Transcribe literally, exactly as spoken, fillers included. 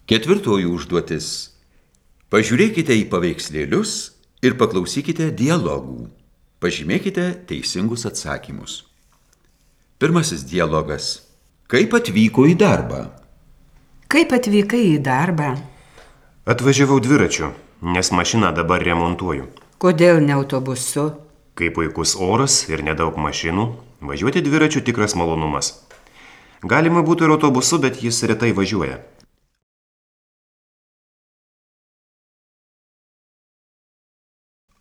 Ketvirtoji užduotis. Pažiūrėkite į paveikslėlius ir paklausykite dialogų. Pažymėkite teisingus atsakymus. Pirmasis dialogas. Kaip atvyko į darbą? Kaip atvykai į darbą? Atvažiavau dviračiu, nes mašiną dabar remontuoju. Kodėl ne autobusu? Kai puikus oras ir nedaug mašinų, važiuoti dviračiu tikras malonumas. Galima būtų ir autobusu, bet jis retai važiuoja.